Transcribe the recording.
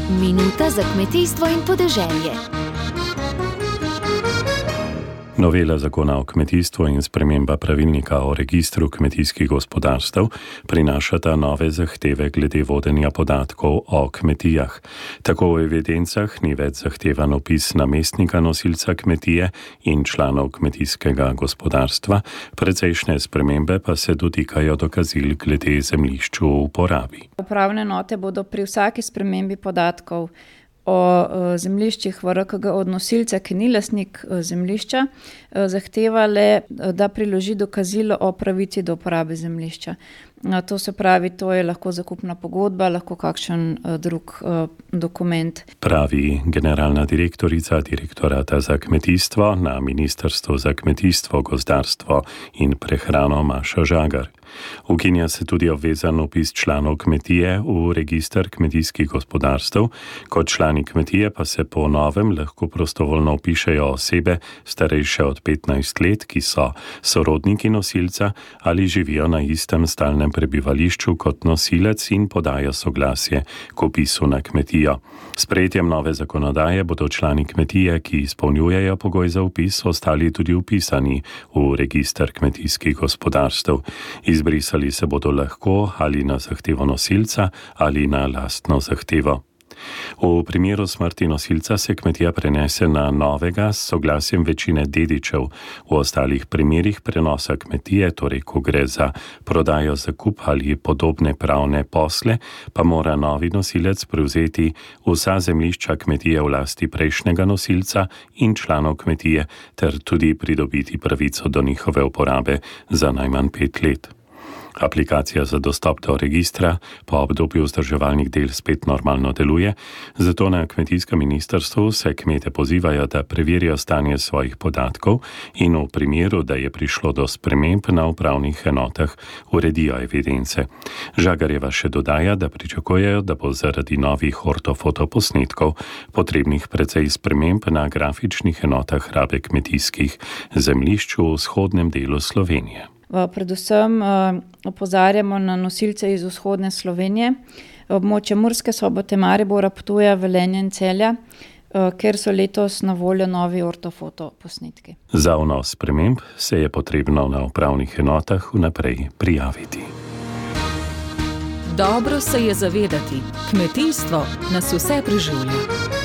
Minuta za kmetijstvo in podeželje. Novela zakona o kmetijstvu in sprememba pravilnika o registru kmetijskih gospodarstev prinašata nove zahteve glede vodenja podatkov o kmetijah. Tako v evidencah ni več zahtevan opis namestnika nosilca kmetije in članov kmetijskega gospodarstva, precejšnje spremembe pa se dotikajo dokazil glede zemljišč v uporabi. Upravne enote bodo pri vsaki spremembi podatkov o zemljiščih v RKG od nosilca, ki ni lastnik zemljišča, zahtevale, da priloži dokazilo o pravici do uporabe zemljišča. To se pravi, to je lahko zakupna pogodba, lahko kakšen drug dokument. Pravi generalna direktorica Direktorata za kmetijstvo na Ministrstvu za kmetijstvo, gozdarstvo in prehrano Maša Žagar. Ukinja se tudi obvezan vpis članov kmetije v register kmetijskih gospodarstev, kot člani kmetije pa se po novem lahko prostovoljno vpišejo osebe starejše od 15 let, ki so sorodniki nosilca ali živijo na istem stalnem prebivališču kot nosilec in podajo soglasje k vpisu na kmetijo. S sprejetjem nove zakonodaje bodo člani kmetije, ki izpolnjujejo pogoj za vpis, ostali tudi vpisani v register kmetijskih gospodarstev. Izbrisali se bodo lahko ali na zahtevo nosilca ali na lastno zahtevo. V primeru smrti nosilca se kmetija prenese na novega s soglasjem večine dedičev. V ostalih primerih prenosa kmetije, torej ko gre za prodajo, zakup ali podobne pravne posle, pa mora novi nosilec prevzeti vsa zemljišča kmetije v lasti prejšnjega nosilca in članov kmetije ter tudi pridobiti pravico do njihove uporabe za najmanj 5 let. Aplikacija za dostop do registra po obdobju vzdrževalnih del spet normalno deluje, zato na kmetijskem ministrstvu se kmete pozivajo, da preverijo stanje svojih podatkov in v primeru, da je prišlo do sprememb na upravnih enotah, uredijo evidence. Žagarjeva še dodaja, da pričakujejo, da bo zaradi novih ortofotoposnetkov potrebnih precej sprememb na grafičnih enotah rabe kmetijskih zemljišč v vzhodnem delu Slovenije. Predvsem opozarjamo na nosilce iz vzhodne Slovenije, območje Murske Sobote, Maribora, Ptuja, Velenja in Celja, ker so letos na voljo novi ortofoto posnetki. Za vnos sprememb se je potrebno na upravnih enotah vnaprej prijaviti. Dobro se je zavedati, kmetijstvo nas vse preživlja.